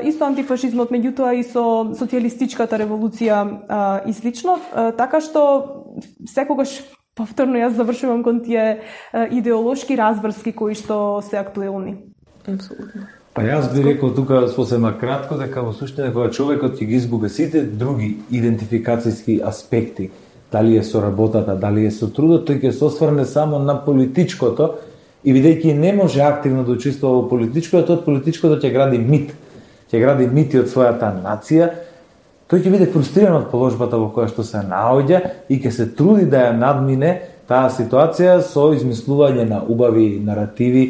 и со антифашизмот, меѓутоа и со социјалистичката револуција и слично, така што секогаш повторно јас завршувам кон тие идеолошки разврски кои што се актуелни. Апсолутно. Па јас би рекол тука сосема кратко дека во суштина кога човекот ќе ги изгуби сите други идентификацијски аспекти, дали е со работата, дали е со трудот, тој ќе се осврне само на политичкото и бидејќи не може активно да учествува во политичкото, од политичкото ќе гради мит, ќе гради мити од својата нација. Тој ќе биде фрустриран од положбата во која што се наоѓа и ќе се труди да ја надмине таа ситуација со измислување на убави наративи,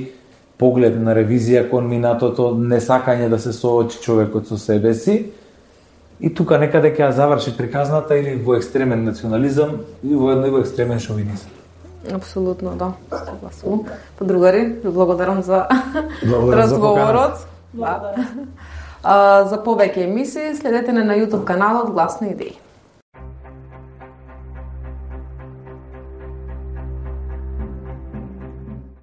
поглед на ревизија кон минатото, несакање да се соочи човекот со себе си. И тука некаде ќе ја заврши приказната или во екстремен национализам или во едно во екстремен шовинизам. Апсолутно, да. Согласувам. Па другари, ви благодарам за благодарам разговорот. За А, за повеќе емисии следете на YouTube каналот Гласни идеи.